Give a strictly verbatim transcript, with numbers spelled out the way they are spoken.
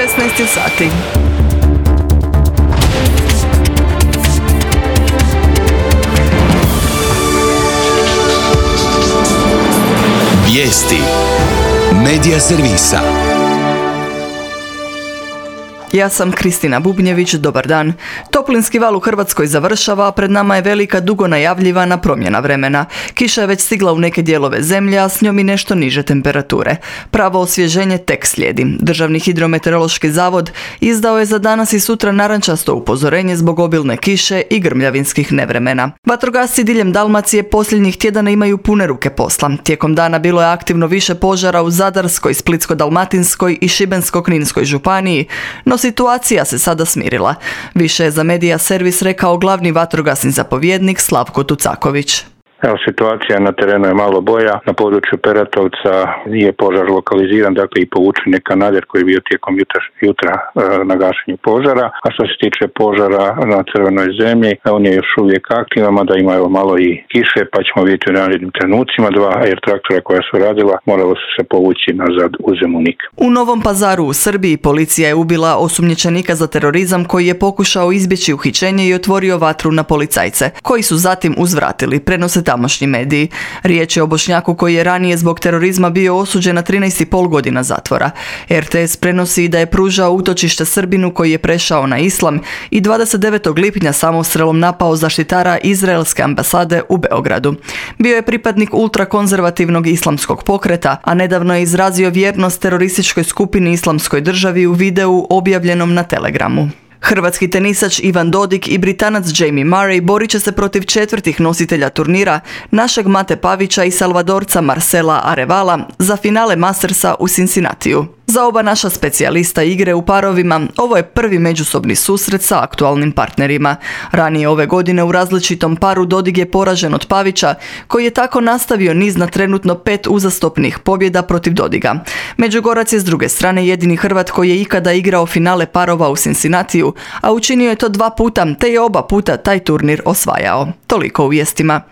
šesnaest je sati. Vijesti Medija servisa. Ja sam Kristina Bubnjević, dobar dan. Toplinski val u Hrvatskoj završava, a pred nama je velika dugo najavljivana promjena vremena. Kiša je već stigla u neke dijelove zemlje, a s njom i nešto niže temperature. Pravo osvježenje tek slijedi. Državni hidrometeorološki zavod izdao je za danas i sutra narančasto upozorenje zbog obilne kiše i grmljavinskih nevremena. Vatrogasci diljem Dalmacije posljednjih tjedana imaju pune ruke posla. Tijekom dana bilo je aktivno više požara u Zadarskoj, Splitsko-dalmatinskoj i Šibensko-kninskoj županiji, no situacija se sada smirila. Više je za Medija servis rekao glavni vatrogasni zapovjednik Slavko Tucaković. Evo, situacija na terenu je malo bolja. Na području Peratovca je požar lokaliziran, dakle i povučen je kanader koji je bio tijekom jutra, jutra e, na gašenju požara. A što se tiče požara na Crvenoj zemlji, on je još uvijek aktivan, mada ima evo malo i kiše, pa ćemo vidjeti u narednim trenucima. Dva air traktora koja su radila moralo su se povući nazad u Zemunik. U Novom Pazaru u Srbiji policija je ubila osumnjičenika za terorizam koji je pokušao izbjeći uhićenje i otvorio vatru na policajce, koji su zatim uzvratili, prenose tamošnji mediji. Riječ je o Bošnjaku koji je ranije zbog terorizma bio osuđen na trinaest i pol godina zatvora. er te es prenosi da je pružao utočište Srbinu koji je prešao na islam i dvadeset devetog lipnja samostrelom napao zaštitara izraelske ambasade u Beogradu. Bio je pripadnik ultrakonzervativnog islamskog pokreta, a nedavno je izrazio vjernost terorističkoj skupini Islamskoj državi u videu objavljenom na Telegramu. Hrvatski tenisač Ivan Dodig i Britanac Jamie Murray borit će se protiv četvrtih nositelja turnira, našeg Mate Pavića i Salvadorca Marcela Arevala, za finale Mastersa u Cincinnatiju. Za oba naša specijalista igre u parovima ovo je prvi međusobni susret sa aktualnim partnerima. Ranije ove godine u različitom paru Dodig je poražen od Pavića, koji je tako nastavio niz na trenutno pet uzastopnih pobjeda protiv Dodiga. Međugorac je s druge strane jedini Hrvat koji je ikada igrao finale parova u Cincinnatiju, a učinio je to dva puta, te je oba puta taj turnir osvajao. Toliko u vijestima.